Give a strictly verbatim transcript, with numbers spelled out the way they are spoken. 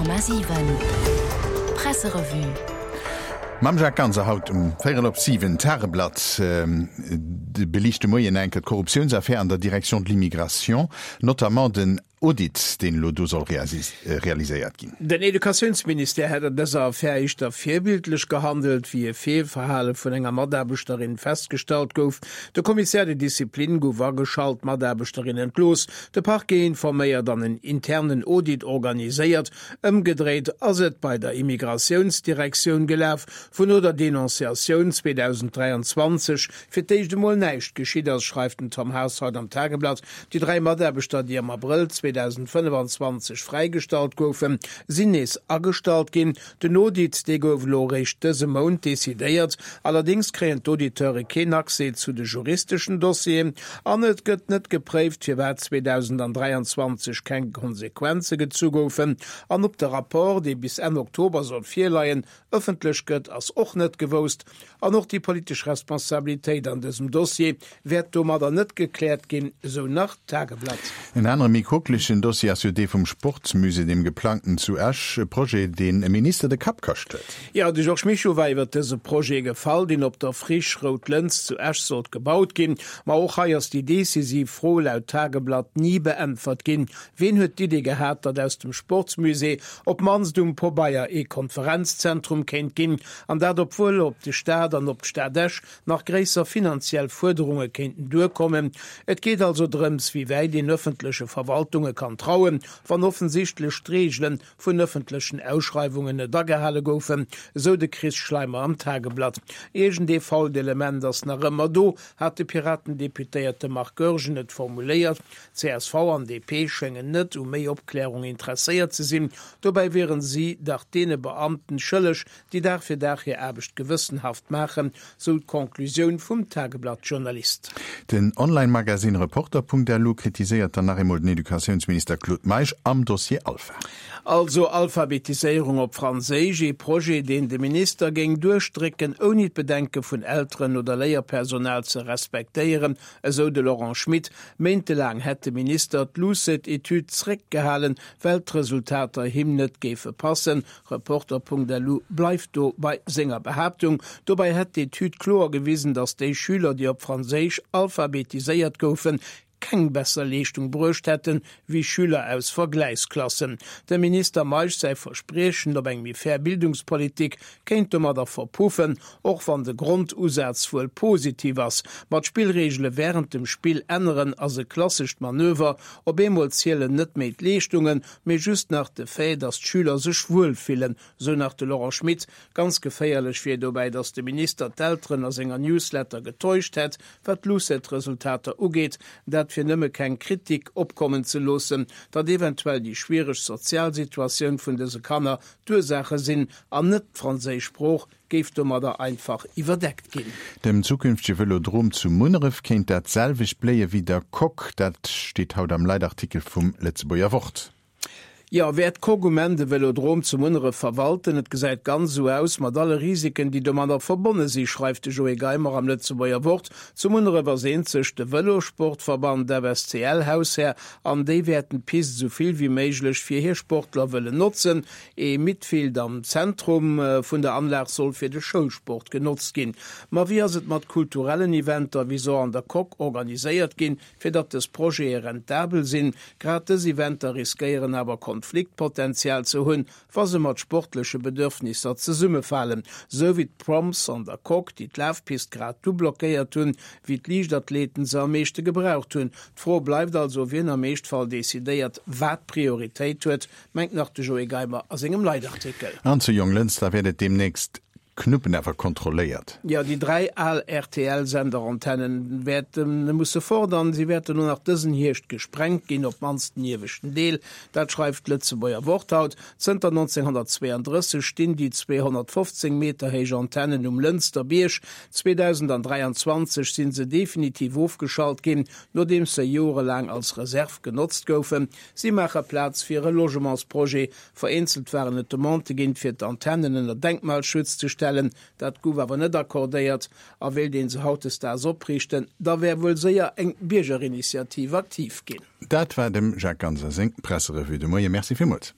Honnert Komma siwen Presserevue. Mam Jacques Ganser haut um véierel op siwen. D'Tageblatt beliicht de Moien enke d'Korruptiounsaffär an der Direction de l'immigration, notamment den Audit, deen elo do soll realiséiert ginn. Den Educatiounsministère hätt an dëser Affär éischter virbildlech gehandelt, wéi e Feelverhale vun enger Mataarbechterin festgestallt gouf. De Commissaire de discipline gouf ageschalt, d'Mataarbechterin entlooss, de Parquet informéiert an en internen Audit organiséiert. Ëmgedréit ass et bei der Immigratiounsdirektioun gelaf, wou no der Denonciatioun zweedausenddräianzwanzeg fir d'éischt emol näischt geschitt ass, schreift den Tom Haas haut am Tageblatt. Déi dräi Mataarbechter, déi am Abrëll zweedausendfënnefanzwanzeg fräigestallt goufen, sinn nees agestallt ginn. Den Audit, dee gouf elo eréischt dëse Mount decidéiert. Allerdéngs kréien d'Auditeure keen Accès zu de juristeschen Dossieren an et gëtt net gepréift, firwat zweedausendräianzwanzeg keng Konsequenze gezu goufen. An ob de Rapport, dee bis Enn Oktober soll virleien, ëffentlech gëtt, ass och net gewousst. An och déi politesch Responsabilitéit an dësem Dossier wäert domadder net gekläert ginn, esou nach d'Tageblatt. En anere méi kucklegen Dossier ass jo dee vum Sportsmusée, deem geplangten zu Esch, e Projet, deen e Minister de Kapp kascht huet. Jo, de Georges Mischo war iwwer dëse Projet gefall, deen op der Friche Rout Lëns zu Esch sollt gebaut ginn. Ma och hei ass déi decisiv Fro laut Tageblatt ni beäntwert ginn, Ween huet d'Idee gehat, datt aus dem Sportsmusée op d'mannst um Pobeier ee Konferenzzentrum kéint ginn, an dat obwuel op de Staat an op d'Stad Esch nach gréisser finanziell Fuerderunge kéinten duerkommen. Et geet also drëms, wéi wäit een ëffentleche Verwaltunge kann trauen, wann offensichtlech d'Reegele vun ëffentlechen Ausschreiwungen net agehale goufen, esou de Chris Schleimer am Tageblatt. Iergendee fault Element ass nach ëmmer do, hat de Piraten-Deputéierte Marc Goergen et formuléiert. Csv an D P schéngen net u méi Opklärung interesséiert ze sinn. Dobäi wieren si dach deene Beamten schëlleg, déi Dag fir Dag hir Aarbecht gewëssenhaft maachen, sou d'Conclusioun vum Tageblatt-Journalist. Den Online-Magasinn Reporter Punkt L U kritiséiert dann nach eemol den Educatiounsminister Claude Meisch am Dossier Alpha. Also Alphabetiséierung op Franséisch, ee Projet, deen de Minister géing duerchdrécken, ouni d'Bedenke vun Elteren oder Léierpersonal ze respektéieren, esou de Laurent Schmit. Méintelaang hätt de Minister d'Lucet-Etüd zréckgehalen, well d'Resultater him net géife passen. Reporter Punkt L U bleift do bei senger Behaaptung. Dobäi hätt d'Etüd kloer gewisen, datt déi Schüler, déi op Franséisch alphabetiséiert goufen, keng besser Leeschtung bruecht hätten, wéi Schüler aus Vergläichsklassen. Dem Minister Meisch säi Verspriechen op eng méi fair Bildungspolitik kéint domadder verpuffen, och wann de Grondusaz wuel positiv ass. Ma d'Spillreegele wärend dem Spill änneren ass e klassescht Manöver. Op eemol zielen net méi d'Leeschtungen, mee just nach de Fait, datt d'Schüler sech wuel fillen, sou nach de Laurent Schmit. Ganz geféierlech wier dobäi, datt de Minister d'Elteren a senger Newsletter getäuscht hätt, wat d'Lucet-Resultater ugeet, dat fir nëmme keng Kritik opkommen ze loossen, datt eventuell déi schwiereg sozial Situatioun vun dëse Kanner d'Ursaache sinn an net d'franséisch Sprooch, géif domadder einfach iwwerdeckt ginn. Dem zukünftege Vëlodrom zu Munneref kéint dat selwecht bléie wéi der Coque, dat steet haut am Leitartikel vum Lëtzebuerger Wort. Jo, wäert d'Coque um Enn de Vëlodrom zu Munneref verwalten? Et gesäit ganz esou aus, mat alle Risiken, déi domadder verbonne si, schreift de Joé Geimer am Lëtzebuerger Wort. Zu Munneref ass eenzeg de Vëlosportverband F S C L Haushär an déi wäerten d'Pist esou vill wéi méiglech fir hir Sportler wëllen notzen. Ee Midfield am Zentrum vun der Anlag soll fir de Schoulsport genotzt ginn. Ma wéi ass et mat kulturellen Eventer, wéi se an der Coque organiséiert ginn, fir datt dës Projete rentabel sinn? Grad dës Eventer riskéieren awer Konfliktpotenzial ze hunn, wa se mat sportleche Bedürfnisser zesummefalen, sou wéi d'Proms an der Coque, déi d'Lafpist grad du blockéiert hunn, wéi d'Liichtathleten se am meeschte gebraucht hunn. D'Fro bleift also, wien am Eeschtfall decidéiert, wat Prioritéit huet, mengt nach de Joé Geimer a sengem Leitartikel. An zu Jonglënster wäert et deemnächst Knuppen awer kontrolléiert. Jo, déi dräi al R T L-Senderantennen wäerte musse fort an si wäerten och nach dësen Hierscht gesprengt ginn, op d'mannst den ieweschten Deel. Dat schreift d'Lëtzebuerger Wort haut. Zënter nonzénghonnertzweeandrësseg stinn déi zweehonnertfofzéng Meter héich Antennen um Lënster Bierg. zweedausenddräianzwanzeg si se definitiv ofgeschalt ginn, nodeems se jorelaang als Reserv genotzt goufen. Si maache Plaz fir e Logementsprojet. Vereenzelt waren et Demandë ginn, fir d'Antennen ënner Denkmalschutz ze stellen. Dat gouf awer net accordéiert. A wéilt ee se hautdesdaags opriichten, da wär wuel séier eng Biergerinitiativ aktiv ginn. Dat war dem Jacques Ganser seng Presserevue de Moien. Merci villmools.